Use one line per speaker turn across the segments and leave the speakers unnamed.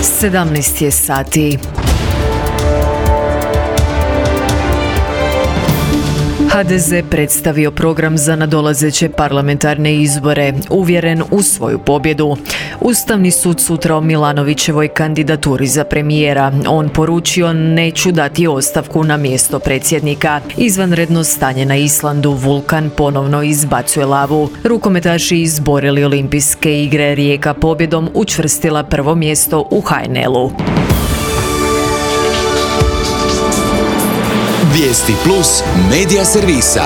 17 je sati. HDZ predstavio program za nadolazeće parlamentarne izbore, uvjeren u svoju pobjedu. Ustavni sud sutra o Milanovićevoj kandidaturi za premijera. On poručio: neću dati ostavku na mjesto predsjednika. Izvanredno stanje na Islandu, vulkan ponovno izbacuje lavu. Rukometaši izborili olimpijske igre, Rijeka pobjedom učvrstila prvo mjesto u HNL-u.
Vijesti plus medija servisa.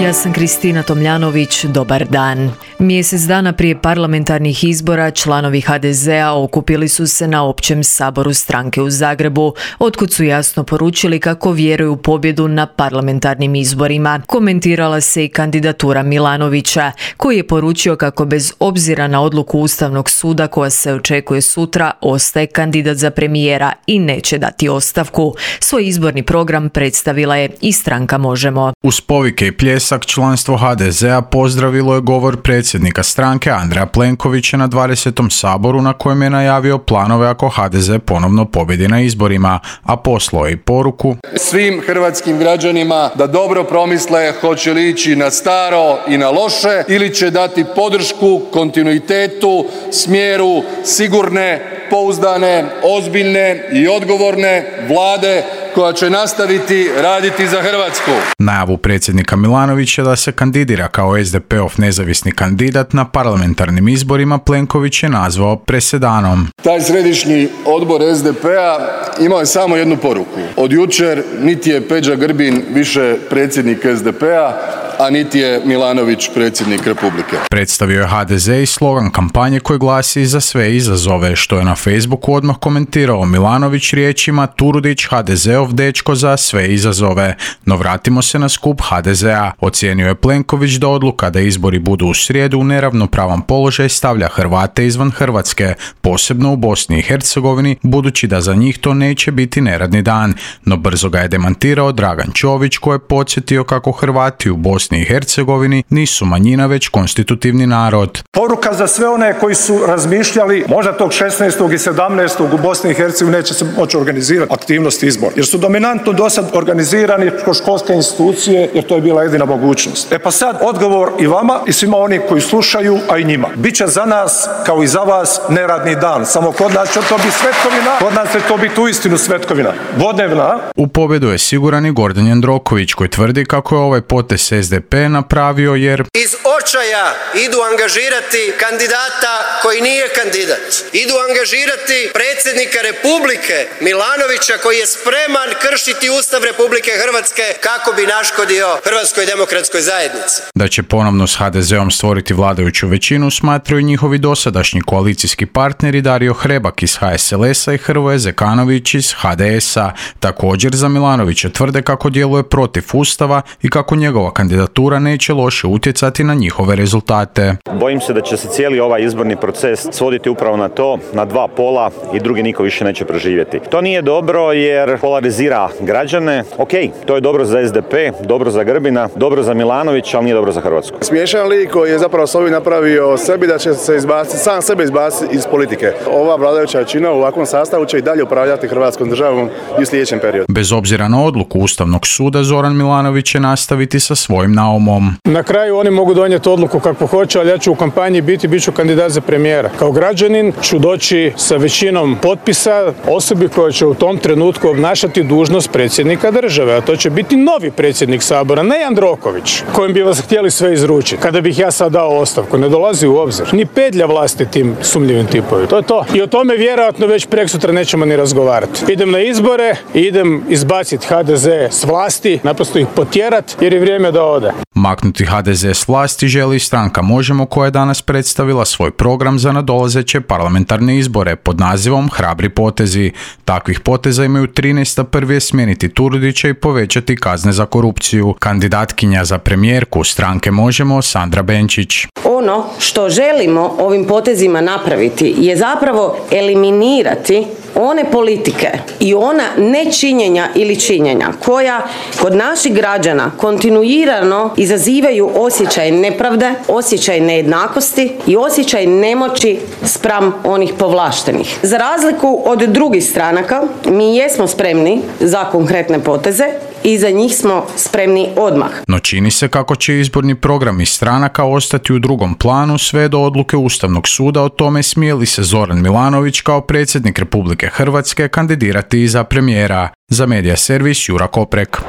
Ja sam Kristina Tomljanović, dobar dan. Mjesec dana prije parlamentarnih izbora članovi HDZ-a okupili su se na općem saboru stranke u Zagrebu, otkud su jasno poručili kako vjeruju u pobjedu na parlamentarnim izborima. Komentirala se i kandidatura Milanovića, koji je poručio kako bez obzira na odluku Ustavnog suda koja se očekuje sutra, ostaje kandidat za premijera i neće dati ostavku. Svoj izborni program predstavila je i stranka Možemo.
Uz povike i pljesak članstvo HDZ-a pozdravilo je govor predsjednika stranke Andreja Plenkovića na 20. saboru, na kojem je najavio planove ako HDZ ponovno pobjedi na izborima, a poslao je i poruku
svim hrvatskim građanima da dobro promisle hoće li ići na staro i na loše ili će dati podršku kontinuitetu, smjeru sigurne, pouzdane, ozbiljne i odgovorne vlade koja će nastaviti raditi za Hrvatsku.
Najavu predsjednika Milanovića da se kandidira kao SDP-ov nezavisni kandidat na parlamentarnim izborima Plenković je nazvao presedanom.
Taj središnji odbor SDP-a imao je samo jednu poruku. Od jučer niti je Peđa Grbin više predsjednik SDP-a, a niti je Milanović predsjednik Republike.
Predstavio je HDZ i slogan kampanje koji glasi za sve izazove, što je na Facebooku odmah komentirao Milanović riječima: Turudić, HDZ-ov dečko za sve izazove. No vratimo se na skup HDZ-a. Ocijenio je Plenković da odluka da izbori budu u srijedu u neravnopravan položaj stavlja Hrvate izvan Hrvatske, posebno u Bosni i Hercegovini, budući da za njih to neće biti neradni dan. No brzo ga je demantirao Dragan Čović, koji je podsjetio kako Hrvati u Bosni i Hercegovini nisu manjina već konstitutivni narod.
Poruka za sve one koji su razmišljali možda tog 16. i 17. u Bosni i Hercegovini neće se moći organizirati aktivnosti izbora, jer su dominantno do sad organizirani kroz školske institucije, jer to je bila jedina mogućnost. Pa sad odgovor i vama i svima oni koji slušaju, a i njima. Biće za nas kao i za vas neradni dan, samo kod nas će to biti svetkovina, kod nas će to biti uistinu svetkovina, dvodnevna.
U pobjedu je siguran i Gordan Jandroković, koji tvrdi kako je ovaj potez SDP napravio jer
iz očaja idu angažirati kandidata koji nije kandidat. Idu angažirati predsjednika Republike Milanovića koji je spreman kršiti Ustav Republike Hrvatske kako bi naškodio Hrvatskoj demokratskoj zajednici.
Da će ponovno s HDZ-om stvoriti vladajuću većinu smatraju njihovi dosadašnji koalicijski partneri Dario Hrebak iz HSLS-a i Hrvoje Zekanović iz HDS-a. Također za Milanovića tvrde kako djeluje protiv Ustava i kako njegova kandidatura neće loše utjecati na njihove rezultate.
Bojim se da će se cijeli ovaj izborni proces svoditi upravo na to, na dva pola i drugi niko više neće preživjeti. To nije dobro jer polarizira građane. Ok, to je dobro za SDP, dobro za Grbina, dobro za Milanovića, ali nije dobro za Hrvatsku.
Smiješan lik koji je zapravo s ovim napravio sebi da će se izbaciti, sam sebe izbaciti iz politike. Ova vladajuća većina u ovakvom sastavu će i dalje upravljati Hrvatskom državom i u sljedećem periodu.
Bez obzira na odluku Ustavnog suda, Zoran Milanović će nastaviti sa svojim naumom.
Na kraju oni mogu donijeti odluku kako hoće, ali ja ću u kampanji bit ću kandidat za premijera. Kao građanin ću doći sa većinom potpisa osobi koja će u tom trenutku obnašati dužnost predsjednika države, a to će biti novi predsjednik Sabora, ne Jandroković, kojem bi vas htjeli sve izručiti. Kada bih ja sad dao ostavku, ne dolazi u obzir. Ni pedlja vlasti tim sumnjivim tipovima. To je to. I o tome vjerojatno već preksutra nećemo ni razgovarati. Idem na izbore, idem izbaciti HDZ s vlasti, naprosto ih potjerat jer je vrijeme da ode.
Maknuti HDZ s vlasti želi stranka Možemo, koja je danas predstavila svoj program za nadolazeće parlamentarne izbore pod nazivom Hrabri potezi. Takvih poteza imaju 13, a prvi je smijeniti Turudića i povećati kazne za korupciju. Kandidatkinja za premijerku stranke Možemo, Sandra Benčić.
Ono što želimo ovim potezima napraviti je zapravo eliminirati one politike i ona nečinjenja ili činjenja koja kod naših građana kontinuirano izazivaju osjećaj nepravde, osjećaj nejednakosti i osjećaj nemoći spram onih povlaštenih. Za razliku od drugih stranaka, mi jesmo spremni za konkretne poteze i za njih smo spremni odmah.
No čini se kako će izborni programi stranaka ostati u drugom planu sve do odluke Ustavnog suda o tome smije li se Zoran Milanović kao predsjednik Republike Hrvatske kandidirati za premijera. Za Medija servis Jura Koprek.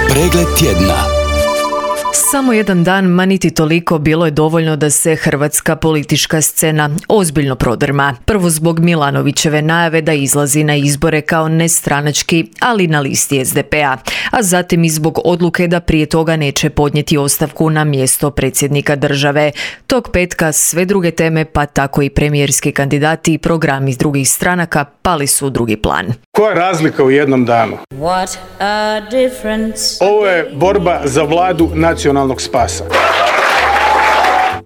Pregled tjedna.
Samo jedan dan, ma niti toliko, bilo je dovoljno da se hrvatska politička scena ozbiljno prodrma. Prvo zbog Milanovićeve najave da izlazi na izbore kao nestranački, ali na listi SDP-a, a zatim i zbog odluke da prije toga neće podnijeti ostavku na mjesto predsjednika države. Tog petka sve druge teme, pa tako i premijerski kandidati i programi iz drugih stranaka pali su u drugi plan.
Koja je razlika u jednom danu? Ovo je borba za vladu nacionalnog spasa.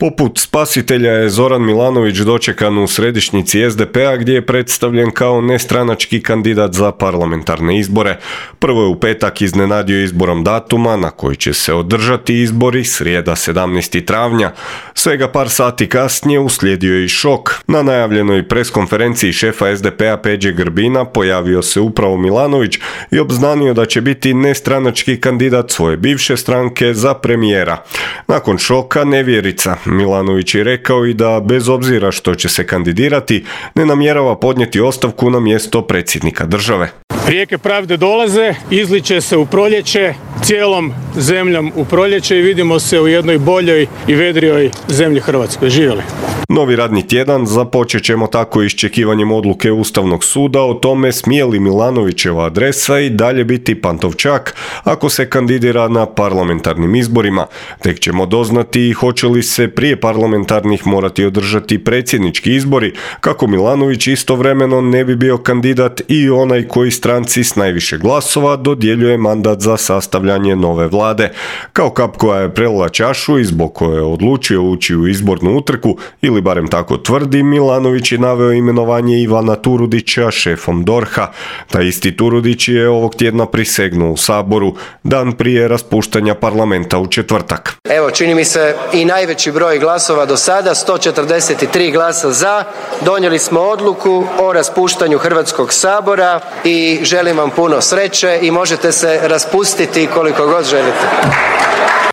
Poput spasitelja je Zoran Milanović dočekan u središnjici SDP-a gdje je predstavljen kao nestranački kandidat za parlamentarne izbore. Prvo je u petak iznenadio izborom datuma na koji će se održati izbori, srijeda 17. travnja. Svega par sati kasnije uslijedio je i šok. Na najavljenoj preskonferenciji šefa SDP-a Peđe Grbina pojavio se upravo Milanović i obznanio da će biti nestranački kandidat svoje bivše stranke za premijera. Nakon šoka nevjerica. Milanović je rekao i da bez obzira što će se kandidirati, ne namjerava podnijeti ostavku na mjesto predsjednika države.
Rijeke pravde dolaze, izliče se u proljeće, cijelom zemljom u proljeće i vidimo se u jednoj boljoj i vedrijoj zemlji Hrvatskoj. Živjeli!
Novi radni tjedan započet ćemo tako iščekivanjem odluke Ustavnog suda o tome smije li Milanovićeva adresa i dalje biti Pantovčak ako se kandidira na parlamentarnim izborima. Tek ćemo doznati hoće li se prije parlamentarnih morati održati predsjednički izbori kako Milanović istovremeno ne bi bio kandidat i onaj koji stranci s najviše glasova dodjeljuje mandat za sastavljanje nove vlade. Kao kap koja je prelila čašu i zbog koje je odlučio ući u izbornu utrku, ili barem tako tvrdi, Milanović je naveo imenovanje Ivana Turudića šefom DORH-a. Taj isti Turudić je ovog tjedna prisegnuo u Saboru, dan prije raspuštanja parlamenta u četvrtak.
Evo, čini mi se i najveći broj glasova do sada, 143 glasa za. Donijeli smo odluku o raspuštanju Hrvatskog sabora i želim vam puno sreće i možete se raspustiti koliko god želite.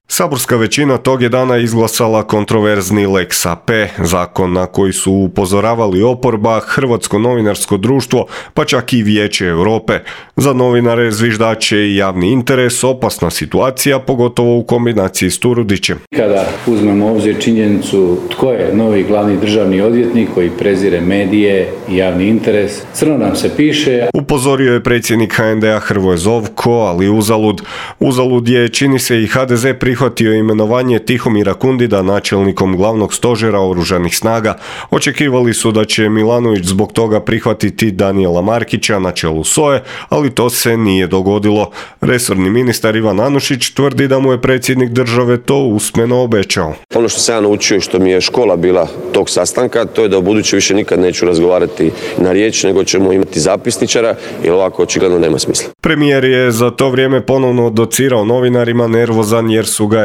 Saborska većina tog je dana izglasala kontroverzni Lex AP, zakon na koji su upozoravali oporba, Hrvatsko novinarsko društvo, pa čak i Vijeće Europe. Za novinare, zviždače i javni interes opasna situacija, pogotovo u kombinaciji s Turudićem.
Kada uzmemo u obzir činjenicu tko je novi glavni državni odvjetnik koji prezire medije i javni interes, crno nam se piše.
Upozorio je predsjednik HND-a Hrvoje Zovko, ali uzalud. Uzalud je, čini se, i HDZ prihvatio imenovanje Tihomira Kundida načelnikom glavnog stožera oružanih snaga. Očekivali su da će Milanović zbog toga prihvatiti Danijela Markića na čelu SOA-e, ali to se nije dogodilo. Resorni ministar Ivan Anušić tvrdi da mu je predsjednik države to usmeno obećao.
Ono što sam ja naučio, što mi je škola bila tog sastanka, to je da ubuduće više nikad neću razgovarati na riječ, nego ćemo imati zapisničara, jer ovako očigledno nema smisla.
Premijer je za to vrijeme ponovno docirao novinarima, nervozan jer su ga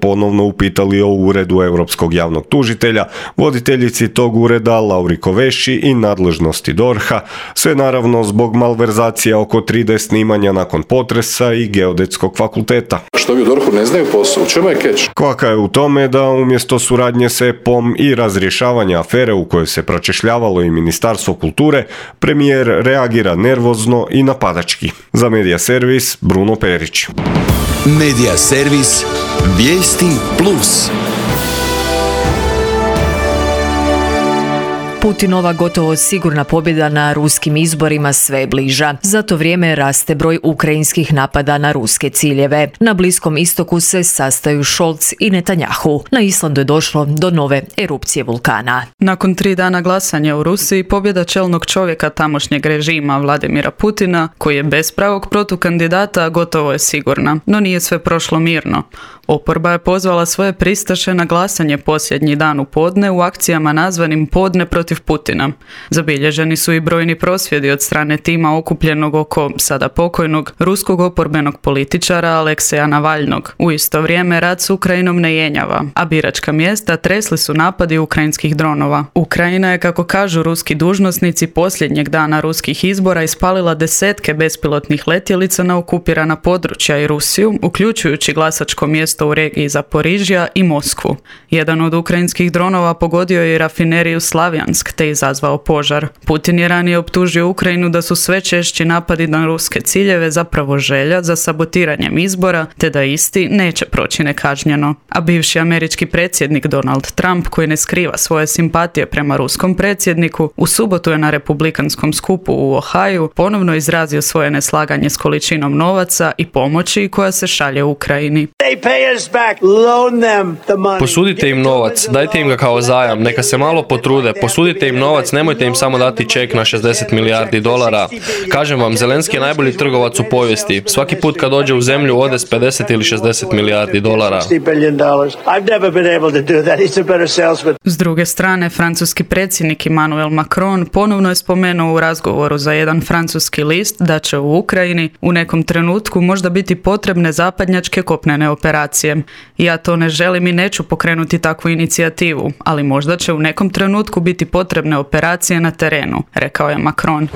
ponovno upitali o uredu Europskog javnog tužitelja, voditeljici tog ureda Lauri Koveši i nadležnosti DORH-a, sve naravno zbog malverzacija oko 3D snimanja nakon potresa i Geodetskog fakulteta.
Što bi u DORH-u ne znaju posao? U čemu je keč?
Kvaka je u tome da umjesto suradnje s EPO-om i razrješavanja afere u kojoj se pročešljavalo i Ministarstvo kulture, premijer reagira nervozno i napadački. Za Medija servis Bruno Perić.
Medija servis Vijesti Plus.
Putinova gotovo sigurna pobjeda na ruskim izborima sve je bliža. Za to vrijeme raste broj ukrajinskih napada na ruske ciljeve. Na Bliskom istoku se sastaju Scholz i Netanjahu. Na Islandu je došlo do nove erupcije vulkana.
Nakon 3 dana glasanja u Rusiji, pobjeda čelnog čovjeka tamošnjeg režima Vladimira Putina, koji je bez pravog protukandidata, gotovo je sigurna. No nije sve prošlo mirno. Oporba je pozvala svoje pristaše na glasanje posljednji dan u podne u akcijama nazvanim Podne protiv protiv Putina. Zabilježeni su i brojni prosvjedi od strane tima okupljenog oko sada pokojnog ruskog oporbenog političara Alekseja Navalnog. U isto vrijeme rat s Ukrajinom ne jenjava, a biračka mjesta tresli su napadi ukrajinskih dronova. Ukrajina je, kako kažu ruski dužnosnici, posljednjeg dana ruskih izbora ispalila desetke bespilotnih letjelica na okupirana područja i Rusiju, uključujući glasačko mjesto u regiji Zaporižja i Moskvu. Jedan od ukrajinskih dronova pogodio je i rafineriju Slavjansk te izazvao požar. Putin je ranije optužio Ukrajinu da su sve češći napadi na ruske ciljeve zapravo želja za sabotiranjem izbora, te da isti neće proći nekažnjeno. A bivši američki predsjednik Donald Trump, koji ne skriva svoje simpatije prema ruskom predsjedniku, u subotu je na republikanskom skupu u Ohaju ponovno izrazio svoje neslaganje s količinom novaca i pomoći koja se šalje u Ukrajini.
Posudite im novac, dajte im ga kao zajam, neka se malo potrude, posudite im novac, nemojte im samo dati ček na 60 milijardi dolara. Kažem vam, Zelenski je najbolji trgovac u povijesti. Svaki put kad dođe u zemlju ode s 50 ili 60 milijardi dolara.
S druge strane, francuski predsjednik Emmanuel Macron ponovno je spomenuo u razgovoru za jedan francuski list da će u Ukrajini u nekom trenutku možda biti potrebne zapadnjačke kopnene operacije. Ja to ne želim i neću pokrenuti takvu inicijativu, ali možda će u nekom trenutku biti potrebne operacije na terenu, rekao je Macron.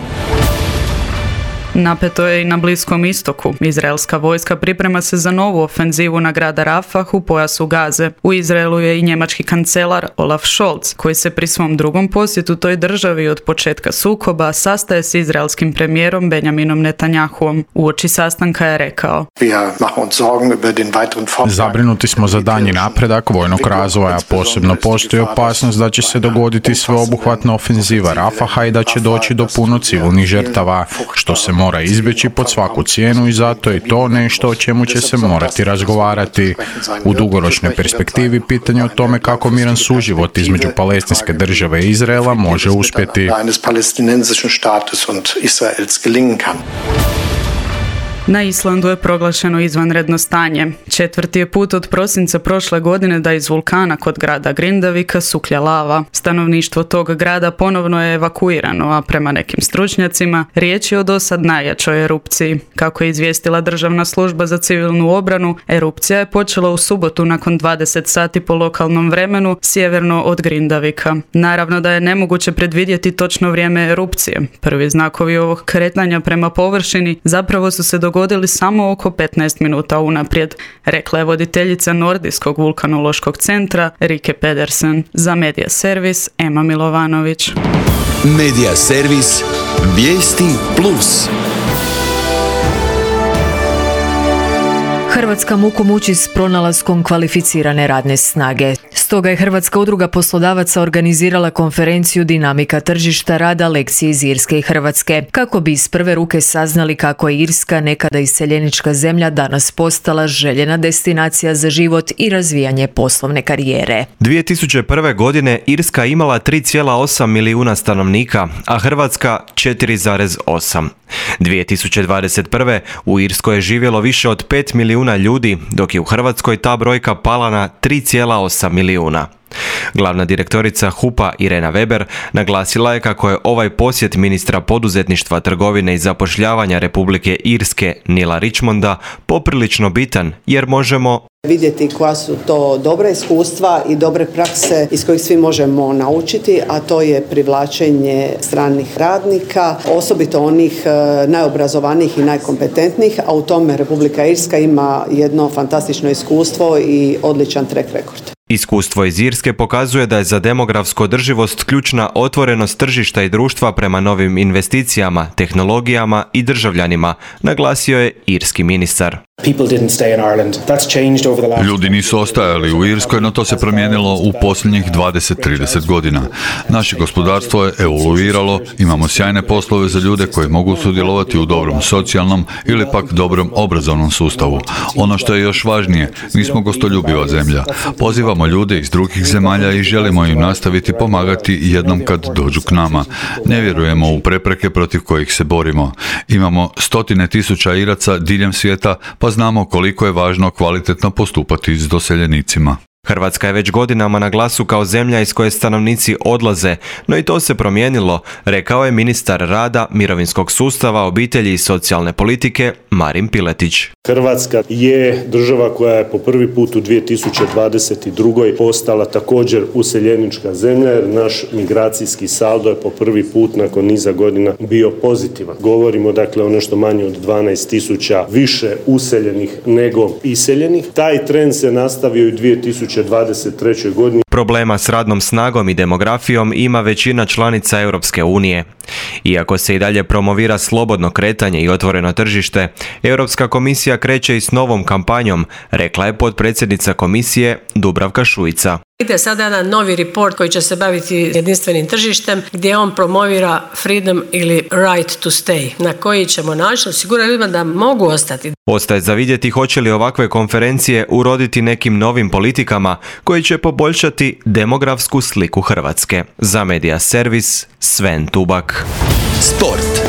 Napeto je i na Bliskom istoku. Izraelska vojska priprema se za novu ofenzivu na grada Rafah u pojasu Gaze. U Izraelu je i njemački kancelar Olaf Scholz, koji se pri svom drugom posjetu toj državi od početka sukoba sastaje s izraelskim premijerom Benjaminom Netanjahuom. Uoči sastanka je rekao:
Zabrinuti smo za daljnji napredak vojnog razvoja, posebno postoji opasnost da će se dogoditi sveobuhvatna ofenziva Rafaha i da će doći do puno civilnih žrtava, što se mora izbjeći pod svaku cijenu i zato je to nešto o čemu će se morati razgovarati. U dugoročnoj perspektivi pitanje o tome kako miran suživot između palestinske države i Izraela može uspjeti.
Na Islandu je proglašeno izvanredno stanje. 4. je put od prosinca prošle godine da iz vulkana kod grada Grindavika suklja lava. Stanovništvo tog grada ponovno je evakuirano, a prema nekim stručnjacima riječ je o dosad najjačoj erupciji. Kako je izvijestila Državna služba za civilnu obranu, erupcija je počela u subotu nakon 20 sati po lokalnom vremenu sjeverno od Grindavika. Naravno da je nemoguće predvidjeti točno vrijeme erupcije. Prvi znakovi ovog kretanja prema površini zapravo su se dogodili samo oko 15 minuta unaprijed, rekla je voditeljica Nordijskog vulkanološkog centra Rike Pedersen. Za Medija servis Ema Milovanović.
Medija servis Vijesti Plus.
Hrvatska muku muči s pronalaskom kvalificirane radne snage. Stoga je Hrvatska udruga poslodavaca organizirala konferenciju Dinamika tržišta rada, lekcije iz Irske i Hrvatske, kako bi iz prve ruke saznali kako je Irska, nekada iseljenička zemlja, danas postala željena destinacija za život i razvijanje poslovne karijere.
2001. godine Irska imala 3,8 milijuna stanovnika, a Hrvatska 4,8. 2021. u Irskoj je živjelo više od 5 milijuna ljudi, dok je u Hrvatskoj ta brojka pala na 3,8 milijuna. Glavna direktorica HUP-a Irena Weber naglasila je kako je ovaj posjet ministra poduzetništva, trgovine i zapošljavanja Republike Irske Nila Richmonda poprilično bitan, jer možemo
vidjeti koja su to dobra iskustva i dobre prakse iz kojih svi možemo naučiti, a to je privlačenje stranih radnika, osobito onih najobrazovanijih i najkompetentnijih, a u tome Republika Irska ima jedno fantastično iskustvo i odličan track record.
Iskustvo iz Irske pokazuje da je za demografsku održivost ključna otvorenost tržišta i društva prema novim investicijama, tehnologijama i državljanima, naglasio je irski ministar.
Ljudi nisu ostajali u Irskoj, no to se promijenilo u posljednjih 20-30 godina. Naše gospodarstvo je evoluiralo, imamo sjajne poslove za ljude koji mogu sudjelovati u dobrom socijalnom ili pak dobrom obrazovnom sustavu. Ono što je još važnije, mi smo gostoljubiva zemlja. Pozivamo ljude iz drugih zemalja i želimo im nastaviti pomagati jednom kad dođu k nama. Ne vjerujemo u prepreke protiv kojih se borimo. Imamo 100.000 Iraca diljem svijeta, pa znamo koliko je važno kvalitetno postupati s doseljenicima.
Hrvatska je već godinama na glasu kao zemlja iz koje stanovnici odlaze, no i to se promijenilo, rekao je ministar rada, mirovinskog sustava, obitelji i socijalne politike Marin Piletić.
Hrvatska je država koja je po prvi put u 2022. postala također useljenička zemlja, jer naš migracijski saldo je po prvi put nakon niza godina bio pozitivan. Govorimo dakle o nešto manje od 12.000 više useljenih nego iseljenih. Taj trend se nastavio i u 2023. godini.
Problema s radnom snagom i demografijom ima većina članica Europske unije. Iako se i dalje promovira slobodno kretanje i otvoreno tržište, Europska komisija kreće i s novom kampanjom, rekla je potpredsjednica komisije Dubravka Šuica.
Ide sada jedan novi report koji će se baviti jedinstvenim tržištem gdje on promovira freedom ili right to stay, na koji ćemo način osigurati ljudima da mogu ostati.
Ostaje za vidjeti hoće li ovakve konferencije uroditi nekim novim politikama koji će poboljšati demografsku sliku Hrvatske. Za Media Servis, Sven Tubak.
Sport.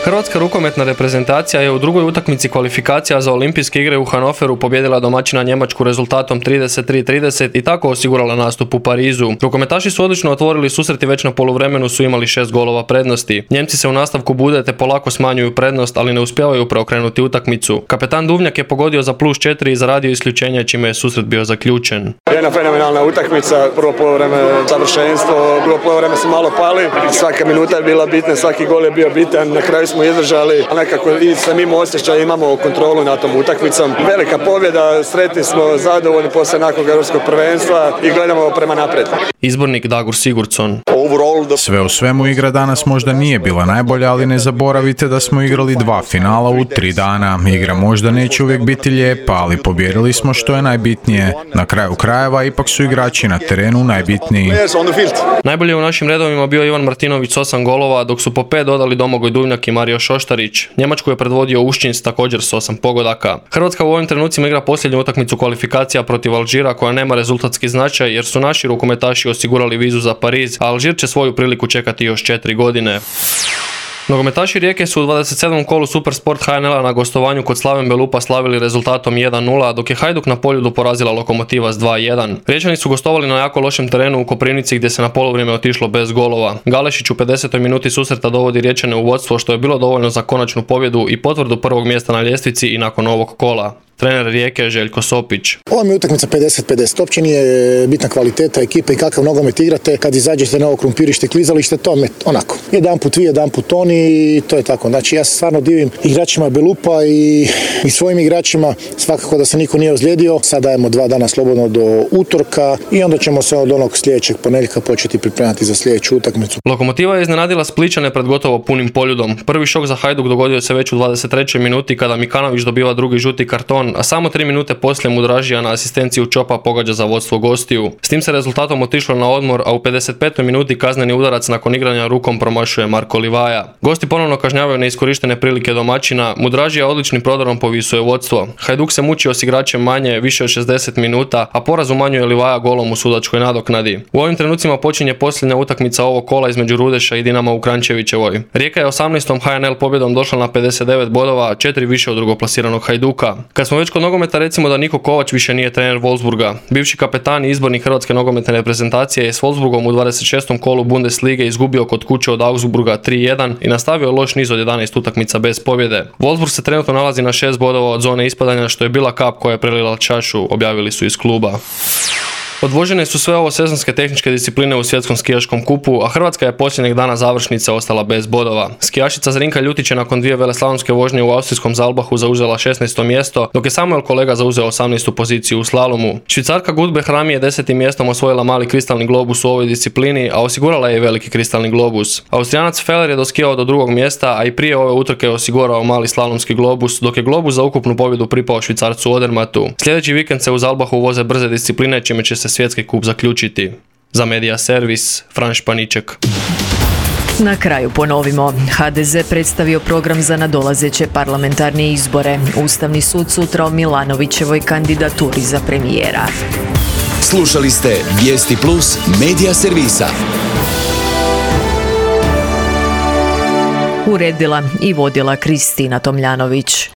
Hrvatska rukometna reprezentacija je u drugoj utakmici kvalifikacija za Olimpijske igre u Hanoveru pobijedila domaćina Njemačku rezultatom 33-30 i tako osigurala nastup u Parizu. Rukometaši su odlično otvorili susret i već na poluvremenu su imali 6 golova prednosti. Njemci se u nastavku bude te polako smanjuju prednost, ali ne uspijevaju preokrenuti utakmicu. Kapetan Duvnjak je pogodio za +4 i zaradio isključenje, čime je susret bio zaključen.
Jedna fenomenalna utakmica, prvo poluvreme savršenstvo, drugo poluvreme smo malo pali, svaka minuta je bila bitna, svaki gol je bio bitan, na kraju smo izdržali, a nekako i sa mimo osjećaja imamo kontrolu nad tom utakmicom. Velika pobjeda, sretni smo, zadovoljni poslije nakon europskog prvenstva i gledamo prema naprijed.
Izbornik Dagur Sigurdsson.
Sve u svemu igra danas možda nije bila najbolja, ali ne zaboravite da smo igrali 2 finala u 3 dana. Igra možda neće uvijek biti lijepa, ali pobijedili smo, što je najbitnije. Na kraju krajeva ipak su igrači na terenu najbitniji.
Najbolje u našim redovima bio Ivan Martinović s 8 golova, dok su po 5 dodali Domagoj Duvnjak i Mario Šoštarić. Njemačku je predvodio Uščins također s 8 pogodaka. Hrvatska u ovim trenucima igra posljednju utakmicu kvalifikacija protiv Alžira koja nema rezultatski značaj jer su naši rukometaši osigurali vizu za Pariz, a Alžir će svoju priliku čekati još 4 godine. Nogometaši Rijeke su u 27. kolu Supersport HNL-a na gostovanju kod Slaven Belupa slavili rezultatom 1-0, dok je Hajduk na Poljudu porazila Lokomotiva s 2-1. Riječani su gostovali na jako lošem terenu u Koprivnici gdje se na polovrijeme otišlo bez golova. Galešić u 50. minuti susreta dovodi Riječane u vodstvo, što je bilo dovoljno za konačnu pobjedu i potvrdu prvog mjesta na ljestvici i nakon ovog kola. Trener Rijeke Željko Sopić.
Ova mi je utakmica 50-50. Uopće nije bitna kvaliteta ekipe i kakav nogomet igrate. Kad izađete na ovo krumpirište, klizalište, to me onako. Jedanput vi, jedanput oni i to je tako. Znači ja se stvarno divim igračima Belupa i svojim igračima. Svakako da se niko nije ozlijedio. Sad dajemo 2 dana slobodno do utorka i onda ćemo se od onog sljedećeg ponedjeljka početi pripremati za sljedeću utakmicu.
Lokomotiva je iznenadila Splićane pred gotovo punim Poljudom. Prvi šok za Hajduk dogodio se već u 23. minuti kada Mikanović dobiva drugi žuti karton, a samo 3 minute poslije Mudražija na asistenciju Čopa pogađa za vodstvo gostiju. S tim se rezultatom otišlo na odmor, a u 55. minuti kazneni udarac nakon igranja rukom promašuje Marko Livaja. Gosti ponovno kažnjavaju neiskorištene prilike domaćina, Mudražija odličnim prodorom povisuje vodstvo. Hajduk se mučio s igračem manje više od 60 minuta, a poraz umanjuje Livaja golom u sudačkoj nadoknadi. U ovim trenucima počinje posljednja utakmica ovog kola između Rudeša i Dinama u Kranjčevićevoj. Rijeka je 18. HNL pobjedom došla na 59 bodova, 4 više od drugoplasiranog Hajduka. Kad smo već kod nogometa, recimo da Niko Kovač više nije trener Wolfsburga. Bivši kapetan i izbornik Hrvatske nogometne reprezentacije je s Wolfsburgom u 26. kolu Bundeslige izgubio kod kuće od Augsburga 3-1 i nastavio loš niz od 11 utakmica bez pobjede. Wolfsburg se trenutno nalazi na 6 bodova od zone ispadanja, što je bila kap koja je prelila čašu, objavili su iz kluba. Odvožene su sve ovo sezonske tehničke discipline u svjetskom skijaškom kupu, a Hrvatska je posljednjeg dana završnice ostala bez bodova. Skijašica Zrinka Ljutić je nakon 2 veleslalomske vožnje u austrijskom Zalbahu zauzela 16. mjesto, dok je Samuel Kolega zauzeo 18. poziciju u slalomu. Švicarka Gudbe Hrami je 10. mjestom osvojila mali kristalni globus u ovoj disciplini, a osigurala je veliki kristalni globus. Austrijanac Feller je doskijao do 2. mjesta, a i prije ove utrke je osigurao mali slalomski globus, dok je globus za ukupnu pobjedu pripao Švicarcu Odermatu. Sljedeći vikend se u Zalbahu voze brze discipline, čime će se svjetski kup zaključiti. Za Media Servis, Fran Španiček.
Na kraju ponovimo. HDZ predstavio program za nadolazeće parlamentarne izbore. Ustavni sud sutra o Milanovićevoj kandidaturi za premijera.
Slušali ste Vijesti Plus Media Servisa.
Uredila i vodila Kristina Tomljanović.